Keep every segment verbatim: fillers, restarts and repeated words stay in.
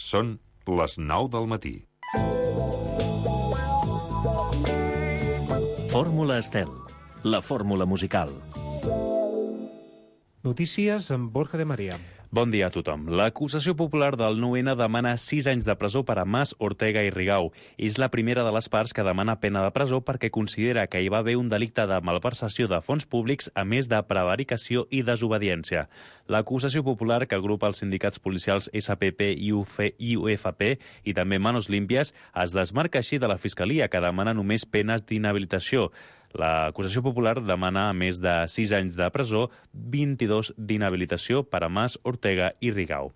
Són les nou del matí. Fórmula Estel, la fórmula musical. Notícies amb Borja de Maria. Bon dia a tothom. L'acusació popular del nou ene demana sis anys de presó per a Mas, Ortega i Rigau. És la primera de les parts que demana pena de presó perquè considera que hi va haver un delicte de malversació de fons públics a més de prevaricació i desobediència. L'acusació popular, que agrupa els sindicats policials esse pe pe i u efe pe i també Manos Limpias, es desmarca així de la Fiscalia, que demana només penes d'inhabilitació. L'acusació popular demana, a més de sis anys de presó, vint-i-dos d'inhabilitació per a Mas, Ortega i Rigau.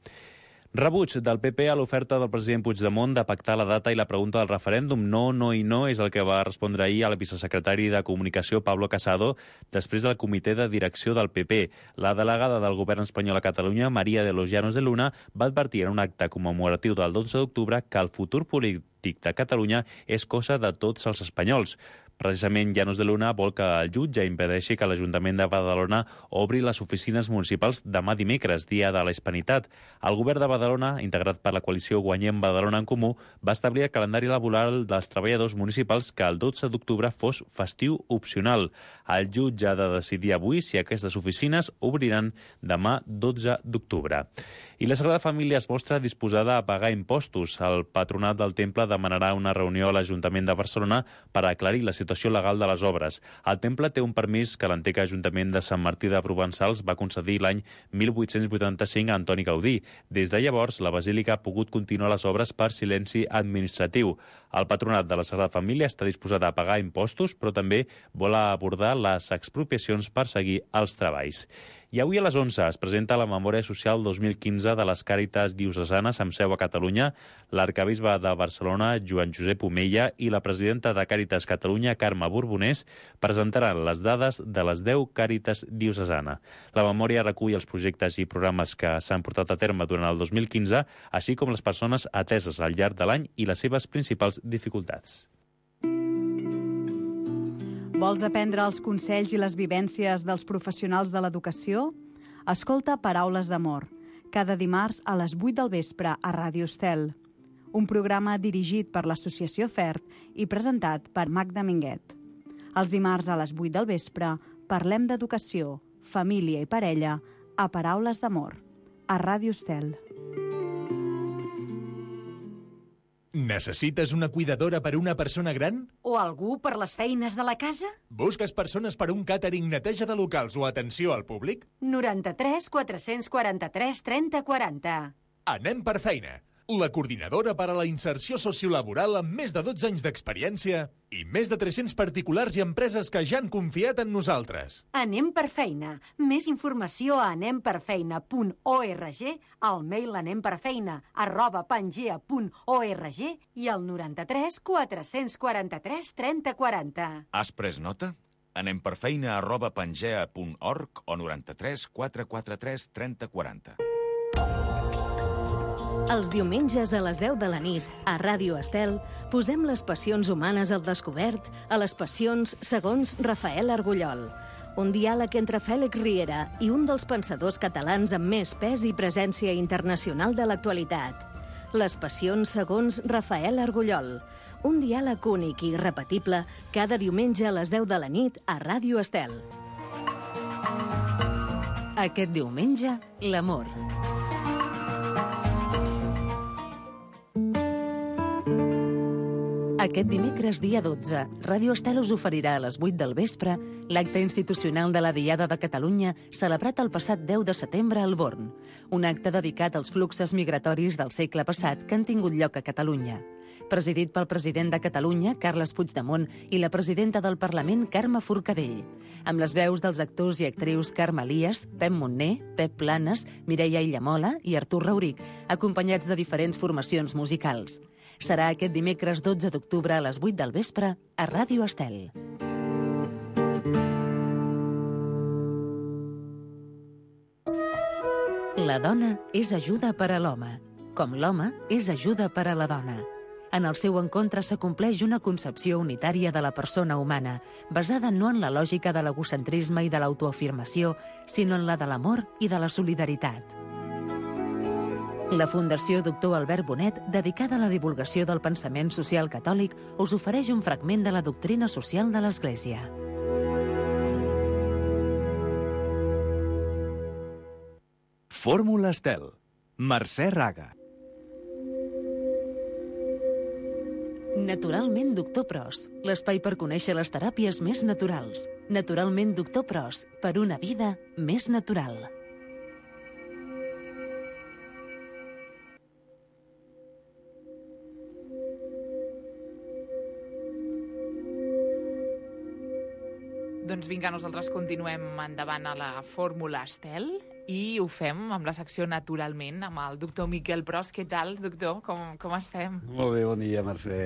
Rebuig del pe pe a l'oferta del president Puigdemont de pactar la data i la pregunta del referèndum. No, no i no és el que va respondre ahir al vicesecretari de Comunicació, Pablo Casado, després del comitè de direcció del pe pe. La delegada del govern espanyol a Catalunya, María de los Llanos de Luna, va advertir en un acte commemoratiu del dotze d'octubre que el futur polític de Catalunya és cosa de tots els espanyols. Precisament, Llanos de Luna vol que el jutge impedeixi que l'Ajuntament de Badalona obri les oficines municipals demà dimecres, dia de la Hispanitat. El govern de Badalona, integrat per la coalició Guanyem Badalona en Comú, va establir el calendari laboral dels treballadors municipals que el dotze d'octubre fos festiu opcional. El jutge ha de decidir avui si aquestes oficines obriran demà dotze d'octubre. I la Sagrada Família es mostra disposada a pagar impostos. El patronat del temple demanarà una reunió a l'Ajuntament de Barcelona per aclarir la situació legal de les obres. El temple té un permís que l'antic Ajuntament de Sant Martí de Provençals va concedir l'any mil vuit-cents vuitanta-cinc a Antoni Gaudí. Des de llavors, la Basílica ha pogut continuar les obres per silenci administratiu. El patronat de la Sagrada Família està disposada a pagar impostos, però també vol abordar les expropiacions per seguir els treballs. I avui a les onze es presenta la Memòria Social dos mil quinze de les Càritas Diocesanes amb seu a Catalunya. L'arcabisbe de Barcelona, Joan Josep Omella, i la presidenta de Càritas Catalunya, Carme Borbonés, presentaran les dades de les deu Càritas Diocesana. La memòria recull els projectes i programes que s'han portat a terme durant el dos mil quinze, així com les persones ateses al llarg de l'any i les seves principals dificultats. Vols aprendre els consells i les vivències dels professionals de l'educació? Escolta Paraules d'Amor, cada dimarts a les vuit del vespre a Ràdio Estel. Un programa dirigit per l'Associació FERT i presentat per Magda Minguet. Els dimarts a les vuit del vespre parlem d'educació, família i parella a Paraules d'Amor, a Ràdio Estel. Necessites una cuidadora per una persona gran? O algú per les feines de la casa? Busques persones per un càtering, neteja de locals o atenció al públic? noranta-tres quatre-cents quaranta-tres trenta quaranta. Anem per feina. La coordinadora per a la inserció sociolaboral amb més de dotze anys d'experiència i més de tres-cents particulars i empreses que ja han confiat en nosaltres. Anem per feina. Més informació a anem per feina punt org, al mail anemperfeina arroba pangea punt org i al noranta-tres quatre-cents quaranta-tres trenta quaranta. Has pres nota? Anem per feina arroba pangea punt org o noranta-tres quatre quaranta-tres trenta quaranta. Els diumenges a les deu de la nit, a Ràdio Estel, posem les passions humanes al descobert a les passions segons Rafael Argullol. Un diàleg entre Fèlix Riera i un dels pensadors catalans amb més pes i presència internacional de l'actualitat. Les passions segons Rafael Argullol. Un diàleg únic i irrepetible cada diumenge a les deu de la nit a Ràdio Estel. Aquest diumenge, l'amor. Aquest dimecres, dia dotze, Ràdio Estel us oferirà a les vuit del vespre l'acte institucional de la Diada de Catalunya celebrat el passat deu de setembre al Born, un acte dedicat als fluxos migratoris del segle passat que han tingut lloc a Catalunya. Presidit pel president de Catalunya, Carles Puigdemont, i la presidenta del Parlament, Carme Forcadell, amb les veus dels actors i actrius Carme Elias, Pep Montner, Pep Planes, Mireia Illamola i Artur Rauric, acompanyats de diferents formacions musicals. Serà aquest dimecres dotze d'octubre a les vuit del vespre a Ràdio Estel. La dona és ajuda per a l'home, com l'home és ajuda per a la dona. En el seu encontre s'acompleix una concepció unitària de la persona humana, basada no en la lògica de l'egocentrisme i de l'autoafirmació, sinó en la de l'amor i de la solidaritat. La Fundació Doctor Albert Bonet, dedicada a la divulgació del pensament social catòlic, us ofereix un fragment de la doctrina social de l'Església. Fórmula Estel. Mercè Raga. Naturalment Doctor Pros, l'espai per conèixer les teràpies més naturals. Naturalment Doctor Pros, per una vida més natural. Doncs vinga, nosaltres continuem endavant a la Fórmula Estel i ho fem amb la secció Naturalment, amb el doctor Miquel Pros. Què tal, doctor? Com, com estem? Molt bé, bon dia, Mercè.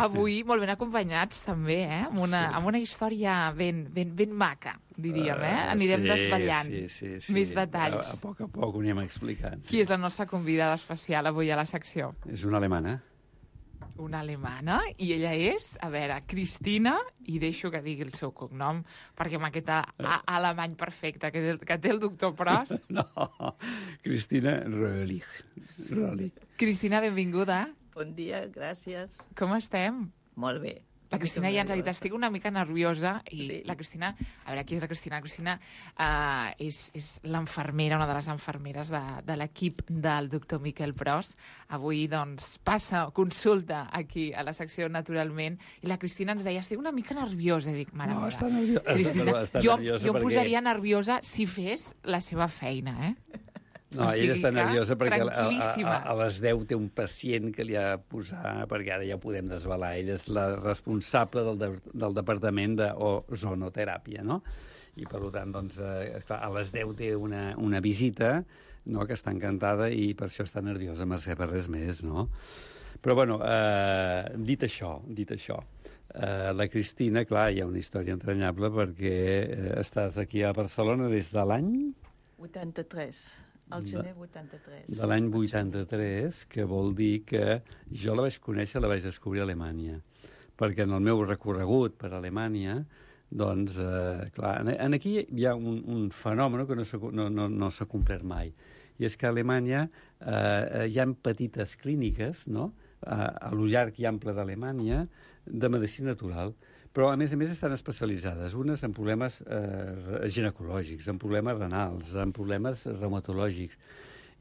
Avui molt ben acompanyats, també, eh? Amb una, sí. amb una història ben, ben, ben maca, diríem, eh? Anirem sí, desvetllant sí, sí, sí. més detalls. A, a poc a poc ho anem explicant. Sí. Qui és la nostra convidada especial avui a la secció? És una alemana. Una alemana, i ella és, a veure, Cristina, i deixo que digui el seu cognom, perquè amb aquest a, a, alemany perfecte que, té, que té el doctor Pros. No, Cristina Röhlich. Röhlich. Cristina, benvinguda. Bon dia, gràcies. Com estem? Molt bé. La Cristina ja ens ha dit, estic una mica nerviosa, i sí. la Cristina, a veure, qui és la Cristina? La Cristina uh, és, és l'enfermera, una de les enfermeres de, de l'equip del doctor Miquel Pros. Avui, doncs, passa, consulta aquí a la secció Naturalment, i la Cristina ens deia, estic una mica nerviosa, i dic, mare no, meva. Està nerviosa. Cristina, està jo, nerviosa jo em perquè... posaria nerviosa si fes la seva feina, eh? No, o sigui ella està nerviosa perquè a, a, a les deu té un pacient que li ha de posar, perquè ara ja ho podem desvelar. Ella és la responsable del, de, del departament d'ozonoteràpia, no? I, per tant, doncs, eh, clar, a les deu té una, una visita, no?, que està encantada i per això està nerviosa, Mercè, per res més, no? Però, bueno, eh, dit això, dit això, eh, la Cristina, clar, hi ha una història entranyable perquè eh, estàs aquí a Barcelona des de l'any... vuitanta-tres. El gener vuitanta-tres. De l'any vuitanta-tres, que vol dir que jo la vaig conèixer, la vaig descobrir a Alemanya. Perquè en el meu recorregut per Alemanya, doncs, eh, clar, en aquí hi ha un, un fenomen que no s'ha no, no, no s'ha complert mai. I és que a Alemanya eh, hi ha petites clíniques, no?, a, a lo llarg i ample d'Alemanya, de medicina natural. Però, a més a més, estan especialitzades. Unes en problemes eh, ginecològics, en problemes renals, en problemes reumatològics.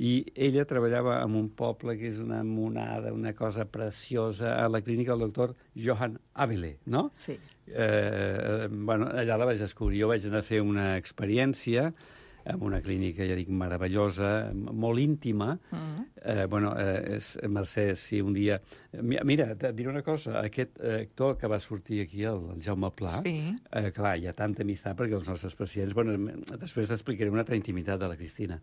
I ella treballava en un poble que és una monada, una cosa preciosa, a la clínica del doctor Johann Abele, no? Sí. Eh, bueno, allà la vaig descobrir. Jo vaig anar a fer una experiència en una clínica, ja dic, meravellosa, molt íntima. Mm. Eh, bueno, eh, és, Mercè, si un dia... Mira, et diré una cosa, aquest actor que va sortir aquí, el, el Jaume Pla, sí. eh, clar, hi ha tanta amistat perquè els nostres pacients... Bueno, després t'explicaré una altra intimitat de la Cristina.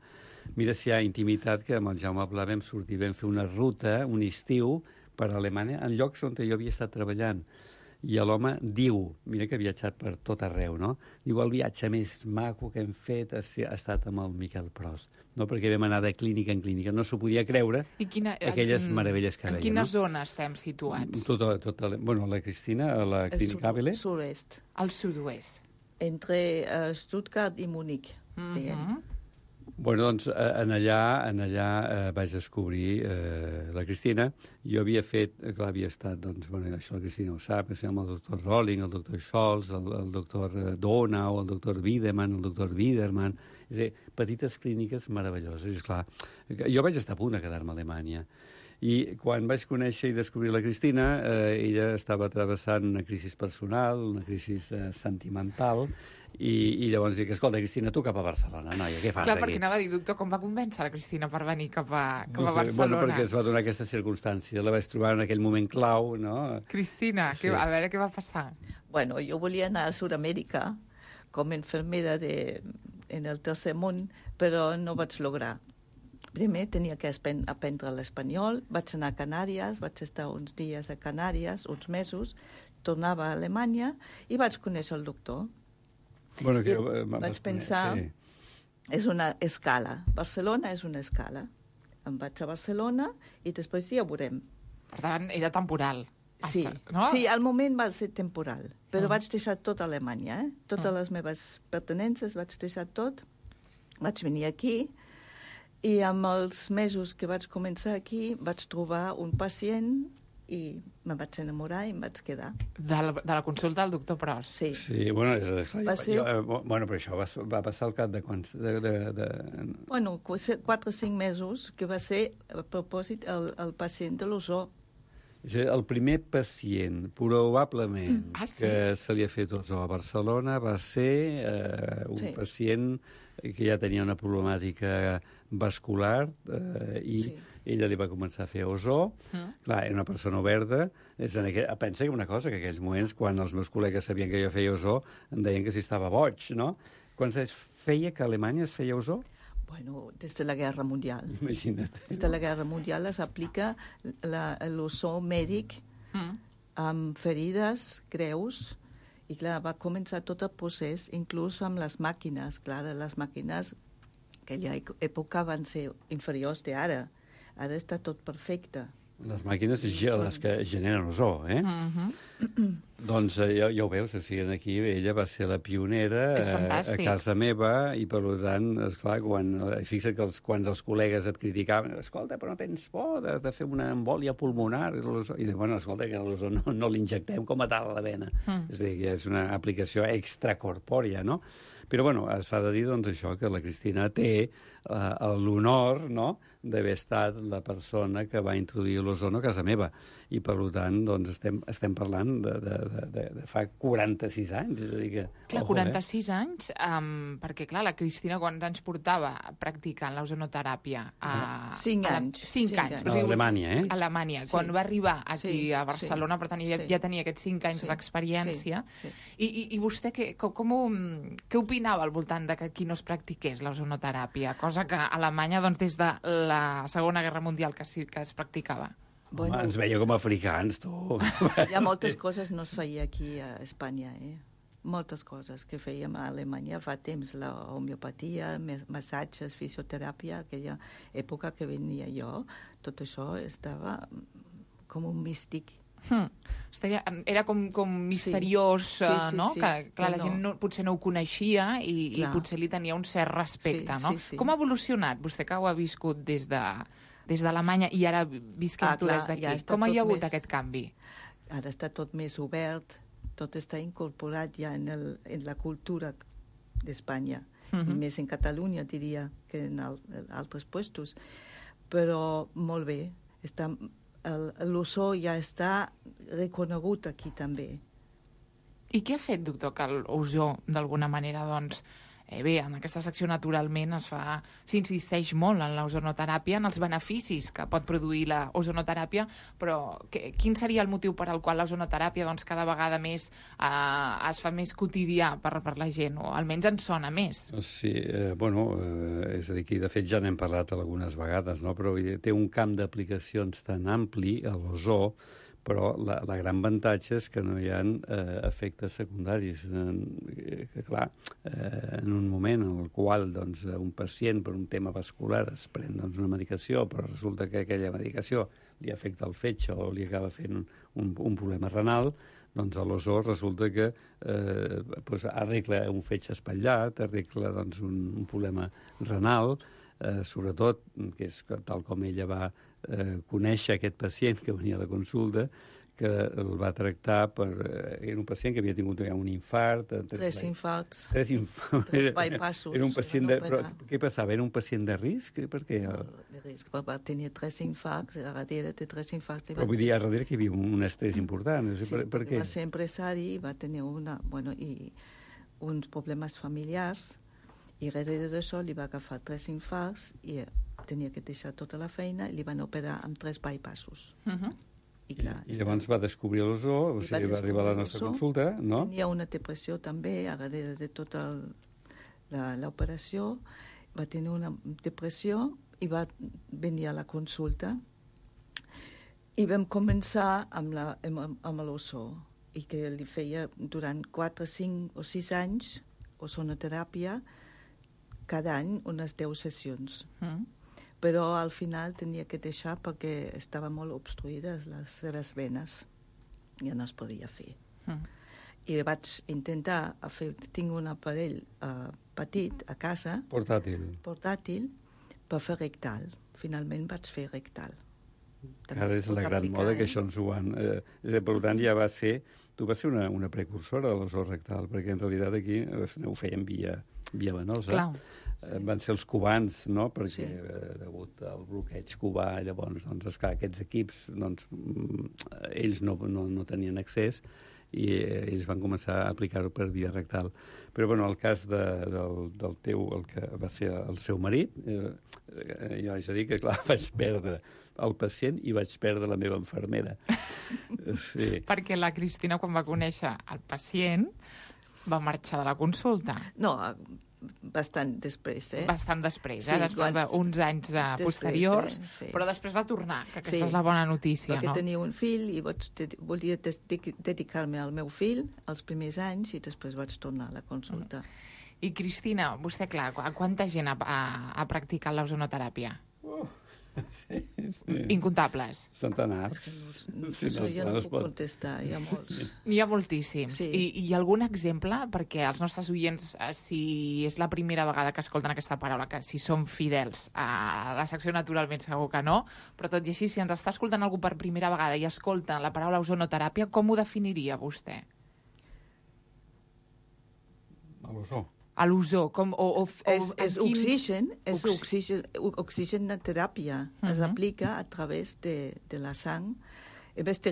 Mira si hi ha intimitat que amb el Jaume Pla vam sortir, vam fer una ruta, un estiu, per Alemanya, en llocs on jo havia estat treballant. I l'home diu, mira que ha viatjat per tot arreu, no? Diu, el viatge més maco que hem fet ha, ha estat amb el Miquel Pros, no? Perquè vam anar de clínica en clínica, no s'ho podia creure, I quina, aquelles quin, meravelles que veia. En quina no? zona estem situats? Tot, tot, bueno, la Cristina, a la clínica Abele. El sud-oest. Al sud-oest. Entre uh, Stuttgart i Múnich. Mm-hmm. Bueno, doncs, en allà, en allà eh, vaig descobrir eh, la Cristina. Jo havia fet, clar, havia estat, doncs, bueno, això la Cristina ho sap, amb el doctor Rolling, el doctor Scholz, el, el doctor Donau, el doctor Wiedemann, el doctor Wiedermann, és a dir, petites clíniques meravelloses. És clar, jo vaig estar a punt de quedar-me a Alemanya. I quan vaig conèixer i descobrir la Cristina, eh, ella estava travessant una crisi personal, una crisi eh, sentimental, i, i llavors dic, escolta, Cristina, tu cap a Barcelona, noia, què fas Clar, aquí? perquè anava a dir, doctor, com va convèncer la Cristina per venir cap a, cap no a sé, Barcelona? Bueno, perquè es va donar aquesta circumstància, la vaig trobar en aquell moment clau, no? Cristina, sí. que, a veure què va passar. Bueno, jo volia anar a Sud-amèrica com a infermera de, en el tercer món, però no vaig lograr. Primer tenia que aprendre l'espanyol, vaig anar a Canàries, vaig estar uns dies a Canàries, uns mesos, tornava a Alemanya i vaig conèixer el doctor. Bueno, que I vaig pensar, sí. és una escala. Barcelona és una escala. Em vaig a Barcelona i després ja ho veurem. Per tant, era temporal. Sí, hasta, no? sí, al moment va ser temporal, però uh. vaig deixar tot a Alemanya, eh? Totes uh. les meves pertenences vaig deixar tot. Vaig venir aquí I amb els mesos que vaig començar aquí vaig trobar un pacient i me vaig enamorar i em vaig quedar. De la, de la consulta del doctor Pros? Sí. Sí, bueno, és, és, Va jo, ser- jo, eh, bueno, però això va, va passar al cap de quants... De, de, de... Bueno, quatre o cinc mesos, que va ser, a propòsit, el, el pacient de l'ozó. És a dir, el primer pacient, probablement, Mm. Ah, sí? que se li ha fet ozó a Barcelona va ser eh, un Sí. pacient que ja tenia una problemàtica vascular eh, i Sí. ella li va començar a fer ozó. Mm. Clar, era una persona oberta. És en aquell, pensa que una cosa, que en aquells moments, quan els meus col·legues sabien que jo feia ozó, em deien que si estava boig, no? Quants anys feia que a Alemanya es feia ozó? Bueno, des de la Guerra Mundial. Imagina't. Des de la Guerra Mundial s'aplica l'ozó mèdic Mm. amb ferides greus i, clar, va començar tot el procés, inclús amb les màquines. Clar, les màquines aquella època van ser inferiors d'ara. Ara està tot perfecte. Les màquines són les que generen ozó, eh? Mhm. Doncs eh, ja, ja ho veus, o sigui, aquí ella va ser la pionera És eh, a fantàstic. casa meva i, per tant, esclar, quan, eh, fixa't que els, quan els col·legues et criticaven, escolta, però no tens por de, de fer una embòlia pulmonar? I, l'ozó- i bueno, escolta, que l'ozó no, no l'injectem com a tal a la vena. Mm. És a dir, que és una aplicació extracorpòria, no? Però, bueno, s'ha de dir, doncs, això, que la Cristina té eh, l'honor, no?, d'haver estat la persona que va introduir l'ozono a casa meva. I, per tant, doncs, estem, estem parlant de, de, de, de, de fa quaranta-sis anys. És a dir que... Clar, ojo, quaranta-sis anys, um, perquè, clar, la Cristina quants anys portava practicant l'ozonoteràpia? A, Cinc a la- anys. Cinc Cinc anys. anys. A Alemanya, eh? A Alemanya. Sí. Quan va arribar aquí Sí, a Barcelona, sí, per tant, ja, sí. ja tenia aquests cinc anys Sí, d'experiència. sí, sí. I, i, I vostè què, com, com ho, què opinava al voltant de que aquí no es practiqués l'ozonoteràpia? Cosa que a Alemanya, doncs, des de la Segona Guerra Mundial que sí que es practicava. Home, ens veia com a africans, tu. Hi ha moltes coses no es feia aquí a Espanya, eh? Moltes coses que fèiem a Alemanya fa temps, la homeopatia, mes- massatges, fisioteràpia, aquella època que venia jo, tot això estava com un místic. Hmm. Estaria, era com, com misteriós, Sí, sí, eh, sí, no? sí. Que, clar, la No, gent no. no, potser no ho coneixia i, i Clar. potser li tenia un cert respecte, Sí, no? sí, sí. Com ha evolucionat, vostè que ho ha viscut des de des d'Alemanya i ara visquem Ah, tu clar, des d'aquí? ja està Com hi ha tot hagut més- aquest canvi? Ara està tot més obert, tot està incorporat ja en, el, en la cultura d'Espanya, Mhm. i més en Catalunya, diria, que en, al, en altres puestos. Però molt bé, està, el- l'ozó ja està reconegut aquí també. I què ha fet, doctor, que l'ozó, d'alguna manera, doncs, eh, bé, en aquesta secció naturalment es fa, s'insisteix molt en l'ozonoteràpia, en els beneficis que pot produir la ozonoteràpia, però que, quin seria el motiu per al qual l'ozonoteràpia doncs, cada vegada més eh, es fa més quotidià per, per la gent, o almenys en sona més? Sí, eh, bueno, eh, és a dir, que de fet ja n'hem parlat algunes vegades, no? Però vull dir, té un camp d'aplicacions tan ampli, a l'ozó, però la, la gran avantatge és que no hi ha eh, efectes secundaris. Eh, que, clar, eh, en un moment en el qual doncs, un pacient per un tema vascular es pren doncs, una medicació, però resulta que aquella medicació li afecta el fetge o li acaba fent un, un, un problema renal, doncs a l'ozó resulta que eh, doncs arregla un fetge espatllat, arregla doncs, un, un problema renal, eh, sobretot, que és que, tal com ella va eh, conèixer aquest pacient que venia a la consulta, que el va tractar per... Eh, era un pacient que havia tingut ja un infart... eh, Tres infarts. Tres infarts. Tres bypassos. Era un pacient de... Van Però, operar. què passava? Era un pacient de risc? Per què? De risc, va tenir tres infarts, a darrere de tres infarts... Però vull dir, a darrere que hi havia un estrès important. Sí, per, per què? va ser empresari, va tenir una, bueno, i uns problemes familiars, i darrere d'això li va agafar tres infarts i tenia que deixar tota la feina i li van operar amb tres bypassos. Uh -huh. I, clar, I llavors va descobrir l'ozó, o I sigui, va va arribar a la descobrir nostra l'ozó. consulta, no? Tenia una depressió també, a darrere de tota el- la- l'operació, va tenir una depressió i va venir a la consulta i vam començar amb, la, amb, amb l'ozó i que li feia durant quatre, cinc o sis anys ozonoteràpia cada any unes deu sessions. Mm. Però al final tenia que deixar perquè estaven molt obstruïdes les seves venes. Ja no es podia fer. Mm. I vaig intentar fer... Tinc un aparell uh, petit a casa, Portàtil. portàtil, per fer rectal. Finalment vaig fer rectal. Ara és la gran moda que això ens ho han... Eh, per tant, ja va ser... Tu vas ser una, una precursora de l'ozó rectal, perquè en realitat aquí ho feien via, via venosa. Clar. Sí. Van ser els cubans, no?, perquè sí. eh, degut al bloqueig cubà, llavors, doncs, esclar, aquests equips, doncs, ells no, no, no tenien accés i eh, ells van començar a aplicar-ho per via rectal. Però, bueno, el cas de, del, del teu, el que va ser el seu marit, eh, eh, jo haig de dir que, clar, vaig perdre el pacient i vaig perdre la meva infermera. Sí. Perquè la Cristina, quan va conèixer el pacient, va marxar de la consulta. No, bastant després, eh? Bastant després, sí, eh? Després d'uns anys uh, després, posteriors, eh? Sí. Però després va tornar, que aquesta sí. és la bona notícia, perquè no? Perquè tenia un fill i vaig, volia dedicar-me al meu fill els primers anys i després vaig tornar a la consulta. Mm. I Cristina, vostè, clar, quanta gent ha, ha, ha practicat l'ozonoteràpia? Oh. Sí, sí. Incontables. Centenars. No, sí, no, jo no, no puc pot... contestar, hi ha molts. N'hi ha moltíssims. Sí. I, I algun exemple, perquè els nostres oients, si és la primera vegada que escolten aquesta paraula, que si són fidels a la secció naturalment segur que no, però tot i així, si ens està escoltant algú per primera vegada i escolta la paraula ozonoteràpia, com ho definiria vostè? A l'ozó. A l'ozó, com... O, o, o, és és quins... oxigen, és oxigen, oxigen teràpia. Uh-huh. Es aplica a través de, de la sang. En vez de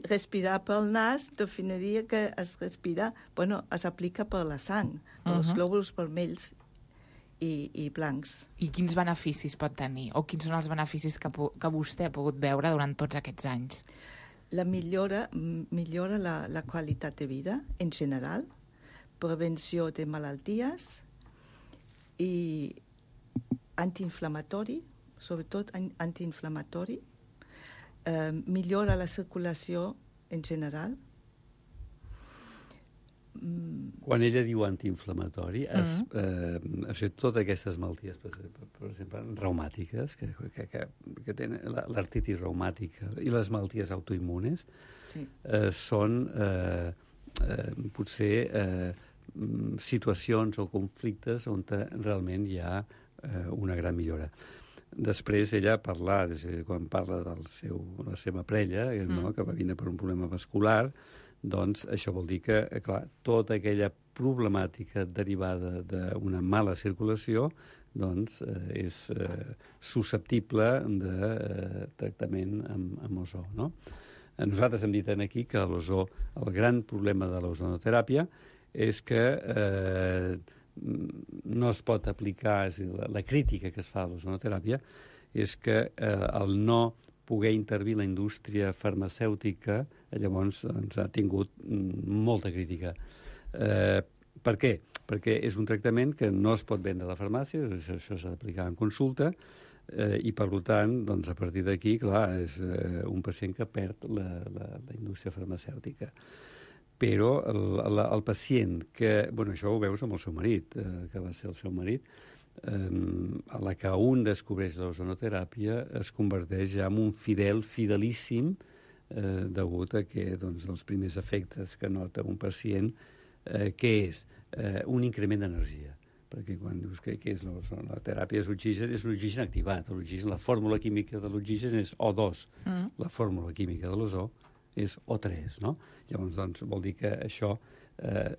respirar pel nas, definiria que es respira... Bueno, es aplica per la sang, per uh-huh. els glòbuls vermells i, i blancs. I quins beneficis pot tenir? O quins són els beneficis que, que vostè ha pogut veure durant tots aquests anys? La millora, millora la, la qualitat de vida, en general, prevenció de malalties i antiinflamatori, sobretot antiinflamatori, eh, millora la circulació en general. Quan ella diu antiinflamatori, es, mm. eh, o sigui, totes aquestes malalties, per, per, per exemple, reumàtiques, que, que, que, que tenen l'artritis reumàtica i les malalties autoimmunes, sí. eh, són eh, eh, potser eh, situacions o conflictes on realment hi ha eh, una gran millora. Després ella parla, quan parla del seu, la seva parella, mm. no, que va vindre per un problema vascular, doncs això vol dir que, clar, tota aquella problemàtica derivada d'una mala circulació doncs eh, és eh, susceptible de eh, tractament amb, amb ozó, no? Nosaltres hem dit aquí que l'ozó, el gran problema de l'ozonoteràpia és que eh, no es pot aplicar, és dir, la, la crítica que es fa a l'ozonoteràpia és que eh, el no poder intervir la indústria farmacèutica llavors doncs, ha tingut molta crítica. Eh, per què? Perquè és un tractament que no es pot vendre a la farmàcia, això s'ha d'aplicar en consulta, eh, i per tant, doncs, a partir d'aquí, clar, és eh, un pacient que perd la, la, la indústria farmacèutica. Però el, el, el pacient que... Bueno, això ho veus amb el seu marit, eh, que va ser el seu marit, eh, a la que un descobreix l'ozonoteràpia es converteix ja en un fidel, fidelíssim, eh, degut a que doncs, els primers efectes que nota un pacient, eh, què és? Eh, un increment d'energia. Perquè quan dius que, que és l'ozonoteràpia, és oxigen, és l'oxigen activat. L'oxigen, la fórmula química de l'oxigen és O dos. Mm. La fórmula química de l'ozó és O tres, no? Llavors, doncs, vol dir que això eh,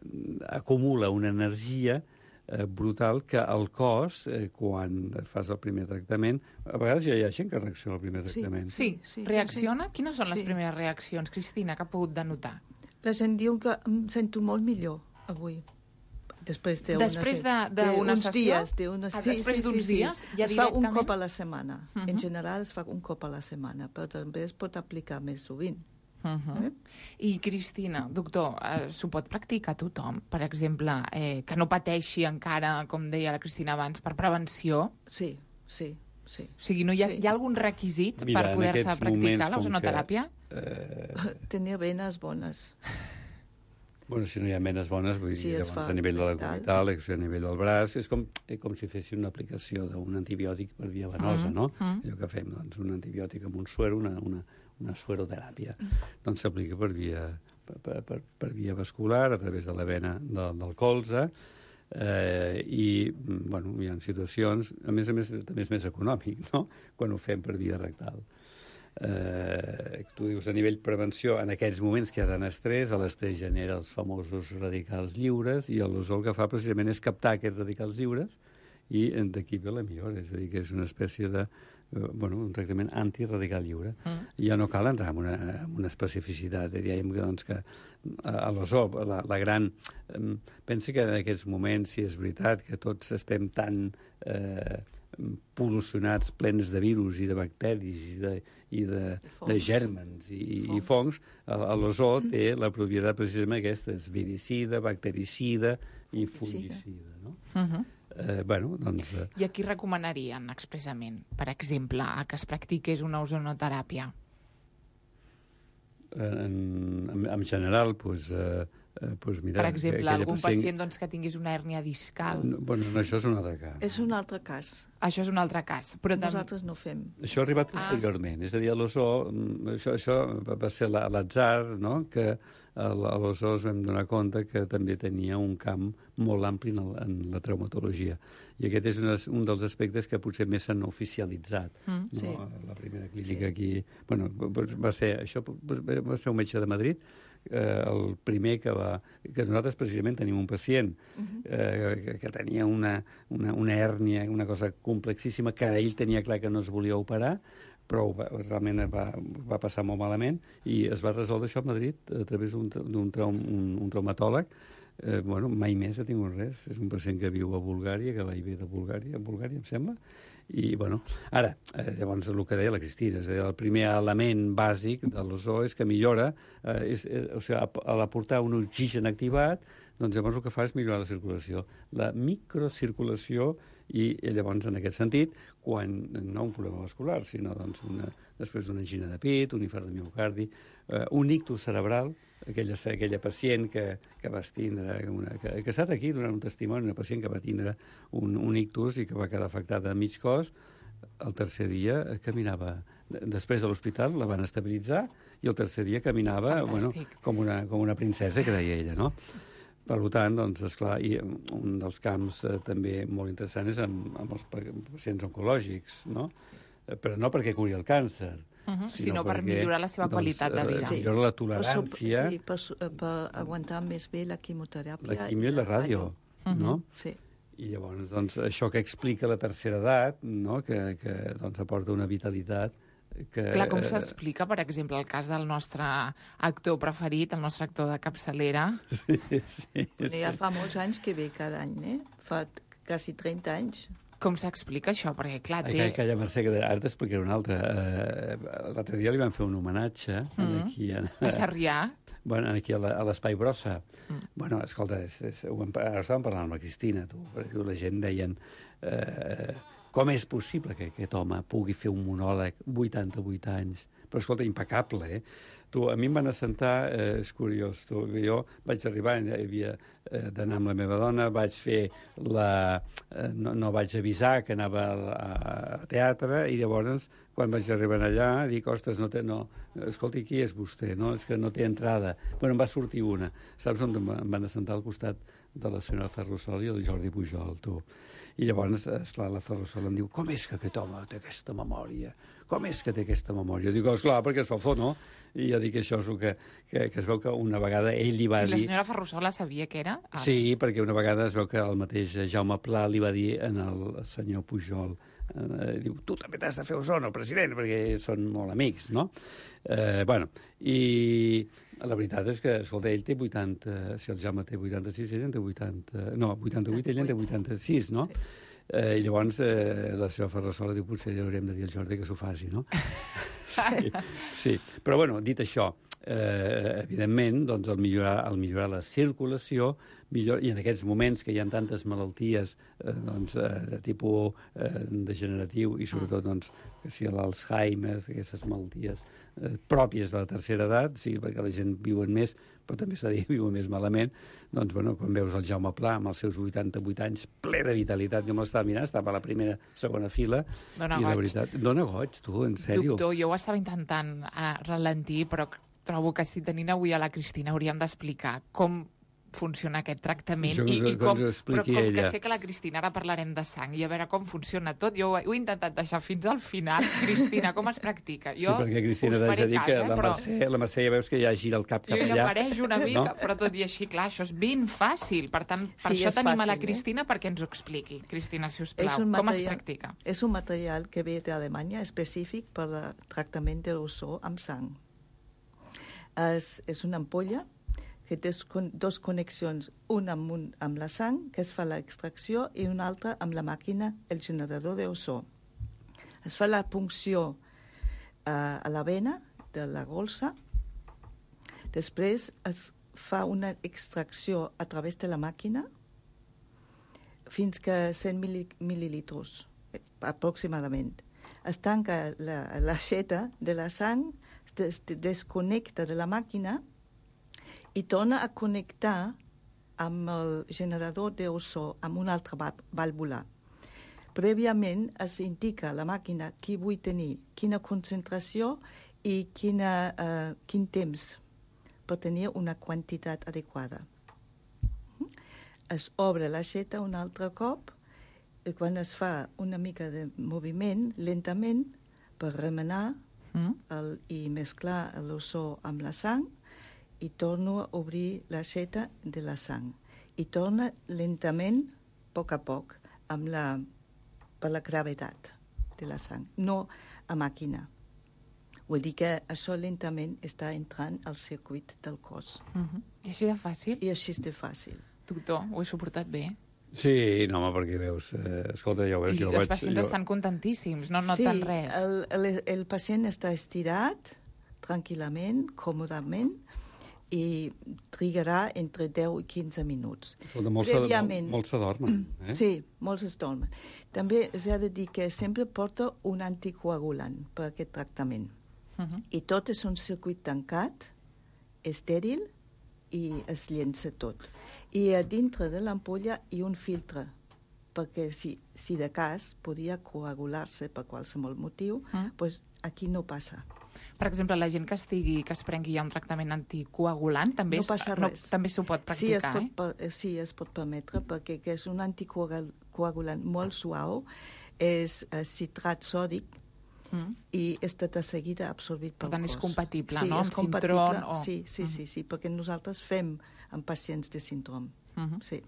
acumula una energia eh, brutal que el cos, eh, quan fas el primer tractament, a vegades ja hi ha gent que reacciona al primer tractament. Sí, sí, sí reacciona? Sí. Quines són les sí. primeres reaccions, Cristina, que ha pogut denotar? La gent diu que em sento molt millor avui. Després d'una després d'una de, sessió? Dies, de una, ah, sí, després d'uns sí, sí, dies? Sí. Ja es directament? fa un cop a la setmana. Uh -huh. En general es fa un cop a la setmana, però també es pot aplicar més sovint. Uh -huh. eh? I, Cristina, doctor, eh, s'ho pot practicar tothom? Per exemple, eh, que no pateixi encara, com deia la Cristina abans, per prevenció? Sí, sí, sí. O sigui, no hi ha, sí. hi ha algun requisit Mira, per poder-se practicar l'ozonoteràpia? Que, eh... Tenir venes bones. Bueno, si no hi ha menes bones, vull dir, sí, llavors a nivell de la comunitat, a nivell del braç, és com, com si fessin una aplicació d'un antibiòtic per via venosa, mm, no? Mm. Allò que fem, doncs, un antibiòtic amb un suero, una, una, una sueroteràpia. Mm. Doncs s'aplica per via, per, per, per via vascular, a través de la vena de, del colze, Eh, I, bueno, hi ha situacions... A més a més, també és més econòmic, no?, quan ho fem per via rectal. Eh, tu dius, a nivell prevenció, en aquests moments que hi ha tant estrès, l'estrès genera els famosos radicals lliures, i l'ozó el que fa precisament és captar aquests radicals lliures i d'aquí ve la millora, és a dir, que és una espècie de bueno, un tractament antiradical lliure. Mm. Ja no cal entrar en una, en una especificitat. Diem que, doncs, que a l'ozó, la, la gran... Eh, pensa que en aquests moments, si és veritat que tots estem tan eh, pol·lucionats, plens de virus i de bacteris i de, i de, de gèrmens i, i, i fongs, l'ozó té la propietat precisament aquesta, és viricida, bactericida i fungicida, no? Uh-huh. Eh, bueno, doncs... Eh... I a qui recomanarien expressament, per exemple, a que es practiqués una ozonoteràpia? En, en, en general, doncs... Eh, eh, pues mira, per exemple, algun pacient, pacient doncs, que tingués una hèrnia discal. No, bueno, no, això és un altre cas. És un altre cas. Això és un altre cas. Però nosaltres no fem. Això ha arribat posteriorment. Ah. És a dir, a l'ozó, això, això va ser l'atzar, no?, que a l'ozó es vam donar compte que també tenia un camp molt ampli en, el, en la traumatologia. I aquest és un, un dels aspectes que potser més s'han oficialitzat. Mm, no? Sí. La primera clínica sí. aquí... Bueno, va ser, això va ser un metge de Madrid, eh, el primer que va... Que nosaltres precisament tenim un pacient uh-huh. eh, que, que tenia una, una, una hèrnia, una cosa complexíssima, que ell tenia clar que no es volia operar, però va, realment va, va passar molt malament i es va resoldre això a Madrid a través d'un traum, un, un traumatòleg. Eh, bueno, mai més ha tingut res. És un pacient que viu a Bulgària, que va i ve de Bulgària, a Bulgària, em sembla. I, bueno, ara, eh, llavors, el que deia la Cristina, és a dir, el primer element bàsic de l'ozó és que millora, eh, és, eh, o sigui, a l'aportar un oxigen activat, doncs llavors el que fa és millorar la circulació. La microcirculació. I, i llavors, en aquest sentit, quan no un problema vascular, sinó doncs, una, després d'una angina de pit, un infart de miocardi, eh, un ictus cerebral, aquella, aquella pacient que, que va tindre, una, que, que està aquí donant un testimoni, una pacient que va tindre un, un ictus i que va quedar afectada a mig cos, el tercer dia caminava, després de l'hospital la van estabilitzar i el tercer dia caminava bueno, com, una, com una princesa, que deia ella, no? Per tant, doncs, esclar, i un dels camps eh, també molt interessant és amb, amb els pacients oncològics, no? Però no perquè curi el càncer, uh-huh, sinó, sinó per perquè, millorar la seva doncs, qualitat de vida. Sí. Millora la tolerància. Sí, per, per aguantar més bé la quimioteràpia. La quimio i la ràdio, uh-huh. no? Sí. I llavors, doncs, això que explica la tercera edat, no?, que, que doncs, aporta una vitalitat. Que, Clar, com s'explica, per exemple, el cas del nostre actor preferit, el nostre actor de capçalera? Sí, sí, sí. Ja fa molts anys que ve cada any, eh? Fa quasi trenta anys. Com s'explica això? Perquè, clar, té... Ai, calla, Mercè, que ara t'explicaré una altra. Uh, L'altre dia li van fer un homenatge mm. aquí... En, a Sarrià? Bueno, aquí a l'Espai Brossa. Mm. Bueno, escolta, és, és, ho hem, ara estàvem parlant amb la Cristina, tu, perquè la gent deien... Uh, com és possible que aquest home pugui fer un monòleg vuitanta-vuit anys? Però, escolta, impecable, eh? Tu, a mi em van assentar, eh, és curiós, tu, jo vaig arribar, hi havia eh, d'anar amb la meva dona, vaig fer la... Eh, no, no vaig avisar que anava a, a teatre, i llavors, quan vaig arribar allà, dic, ostres, no té, no, escolti, qui és vostè? No, és que no té entrada. Bueno, em va sortir una. Saps on em van assentar al costat de la senyora Ferrusola i el Jordi Pujol, tu? I llavors, esclar, la Ferrusola em diu, com és que aquest home té aquesta memòria? Com és que té aquesta memòria? Dic, esclar, perquè es fa fort, no? I jo dic, això és el que, que, que es veu que una vegada ell li va dir... I la senyora Ferrusola sabia què era? Ah. Sí, perquè una vegada es veu que el mateix Jaume Pla li va dir en el senyor Pujol, eh, diu, tu també t'has de fer ozono, president, perquè són molt amics, no? Eh, bueno, i la veritat és que, escolta, ell té vuitanta... Si el Jaume té vuitanta-sis, ell en té vuitanta... No, vuitanta-vuit, ell en té vuitanta-sis, no? Sí. Eh, I llavors eh, la seva Ferrusola diu, potser li haurem de dir al Jordi que s'ho faci, no? Sí, sí. Però, bueno, dit això, eh, evidentment, doncs, el millorar, el millorar la circulació, millor, i en aquests moments que hi ha tantes malalties eh, doncs, eh, de tipus eh, degeneratiu i sobretot doncs, que si l'Alzheimer, aquestes malalties eh, pròpies de la tercera edat, sí, perquè la gent viuen més, però també s'ha de dir viuen més malament, doncs, bueno, quan veus el Jaume Pla amb els seus vuitanta-vuit anys, ple de vitalitat, jo me l'estava mirant, estava a la primera, segona fila, dona i goig. la veritat... Dona goig, tu, en sèrio. Doctor, jo ho estava intentant uh, ralentir, però trobo que si tenint avui a la Cristina hauríem d'explicar com funciona aquest tractament Això que i, us- i que com, ens ho però expliqui com que ella. sé que la Cristina, ara parlarem de sang i a veure com funciona tot, jo ho, he- ho he intentat deixar fins al final. Cristina, com es practica? Sí, Jo perquè Cristina us t'haig faré de dir cas, que eh, la però Mercè, la Mercè ja veus que ja gira el cap cap jo ja allà. apareix una mica, No? però tot i així, clar, això és ben fàcil. Per tant, per Sí, això és tenim a fàcil, la eh? Cristina perquè ens ho expliqui. Cristina, si us És plau, un com es material- practica? És un material que ve d'Alemanya específic per al tractament de l'ossó amb sang. És, és una ampolla que té con- dos connexions, una amb, un, amb la sang, que es fa l'extracció, i una altra amb la màquina, el generador d'ossó. Es fa la punció eh, a la vena de la golsa, després es fa una extracció a través de la màquina fins que cent mil, mil·lilitres, aproximadament. Es tanca la, l'aixeta de la sang, es des, desconnecta de la màquina i torna a connectar amb el generador d'ossó, amb una altra vàlvula. Prèviament es indica a la màquina qui vull tenir, quina concentració i quina, uh, quin temps per tenir una quantitat adequada. Es obre l'aixeta un altre cop i quan es fa una mica de moviment, lentament, per remenar Mm. el, i mesclar l'ossó amb la sang, i torno a obrir l'aixeta de la sang. I torna lentament, a poc a poc, amb la, per la gravetat de la sang, no a màquina. Vull dir que això lentament està entrant al circuit del cos. Uh -huh. I així de fàcil? I així de fàcil. Doctor, ho he suportat bé? Sí, no, home, perquè veus... Eh, escolta, ja ho veus, I jo els vaig... pacients jo... estan contentíssims, no noten sí, res. el, el, el pacient està estirat, tranquil·lament, còmodament, i trigarà entre deu i quinze minuts. Escolta, molts se- Prèviament- molts se dormen, eh? Sí, molts es dormen. També s'ha de dir que sempre porta un anticoagulant per aquest tractament. Uh -huh. I tot és un circuit tancat, estèril, i es llença tot. I a dintre de l'ampolla hi ha un filtre, perquè si, si de cas podia coagular-se per qualsevol motiu, Mm. doncs aquí no passa. Per exemple, la gent que estigui, que es prengui ja un tractament anticoagulant, també, No es- passa no, res. també s'ho pot Sí, es practicar, pot, eh? per- sí, es pot permetre, perquè que és un anticoagulant molt suau, és eh, citrat sòdic, Mm. i està de seguida absorbit pel Per tant, cos. és compatible, sí, no? És Amb compatible, Sintrom o- Sí, sí, Mm. sí, sí, perquè nosaltres fem amb pacients de síndrom. Mhm. Sí.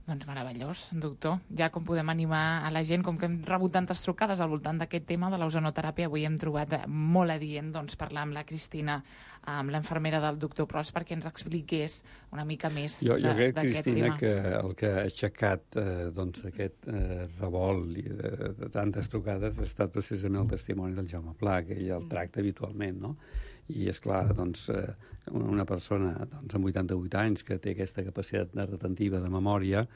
Doncs meravellós, doctor. Ja com podem animar a la gent, com que hem rebut tantes trucades al voltant d'aquest tema de l'ozonoteràpia, avui hem trobat molt adient doncs, parlar amb la Cristina, amb l'infermera del doctor Pros, perquè ens expliqués una mica més Jo, jo de- crec, d'aquest Cristina, tema. que el que ha aixecat eh, doncs, aquest eh, revolt i de, de tantes trucades ha estat precisament el testimoni del Jaume Pla, que ell el tracta habitualment, no? I, és clar, doncs, eh, una persona doncs, amb vuitanta-vuit anys que té aquesta capacitat de retentiva de memòria,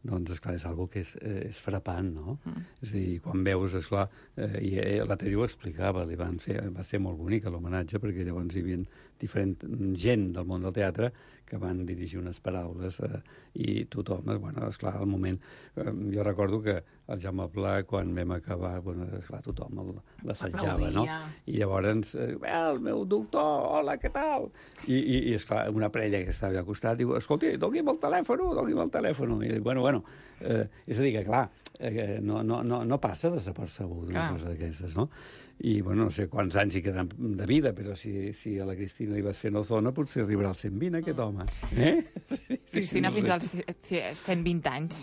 doncs, esclar, és algo que és, eh, és frapant, no? Mm. És a dir, quan veus, esclar, eh, i eh, l'altre dia ho explicava, li van fer, va ser molt bonic l'homenatge, perquè llavors hi havia diferent gent del món del teatre que van dirigir unes paraules eh, i tothom, eh, bueno, esclar, al moment... Eh, jo recordo que el Jaume Pla, quan vam acabar, bueno, esclar, tothom el- l'assajava, no? Aplaudia. I llavors, eh, el meu doctor, hola, què tal? I, i, i esclar, una parella que estava al costat diu, escolti, doni'm el telèfon, doni'm el telèfon. I dic, bueno, bueno, eh, és a dir que, clar, eh, no, no, no, no passa desapercebut una Clar. cosa d'aquestes, no? I, bueno, no sé quants anys hi quedaran de vida, però si, si a la Cristina li vas fent ozona, potser arribarà als cent vint, aquest home. Eh? Cristina, No fins sé. als ce- cent vint anys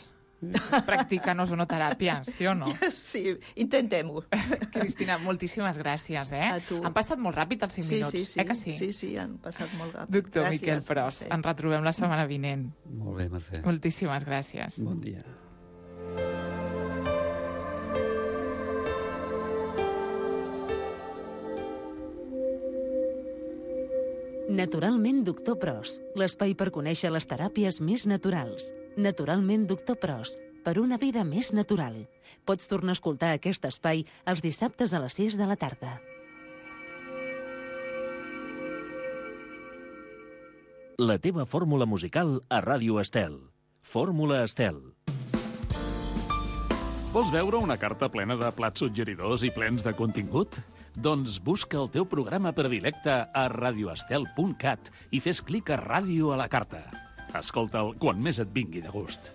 practicant ozonoteràpia, sí o no? Sí, intentem-ho. Cristina, moltíssimes gràcies, eh? A tu. Han passat molt ràpid els cinc Sí, minuts, sí, sí. eh que sí? Sí, sí, han passat molt ràpid. Doctor Gràcies, Miquel Pros, Mercè. ens retrobem la setmana vinent. Molt bé, Mercè. Moltíssimes gràcies. Bon dia. Naturalment Doctor Pros, l'espai per conèixer les teràpies més naturals. Naturalment Doctor Pros, per una vida més natural. Pots tornar a escoltar aquest espai els dissabtes a les sis de la tarda. La teva fórmula musical a Ràdio Estel. Fórmula Estel. Vols veure una carta plena de plats suggeridors i plens de contingut? Doncs busca el teu programa predilecte a radioestel punt cat i fes clic a Ràdio a la carta. Escolta'l quan més et vingui de gust.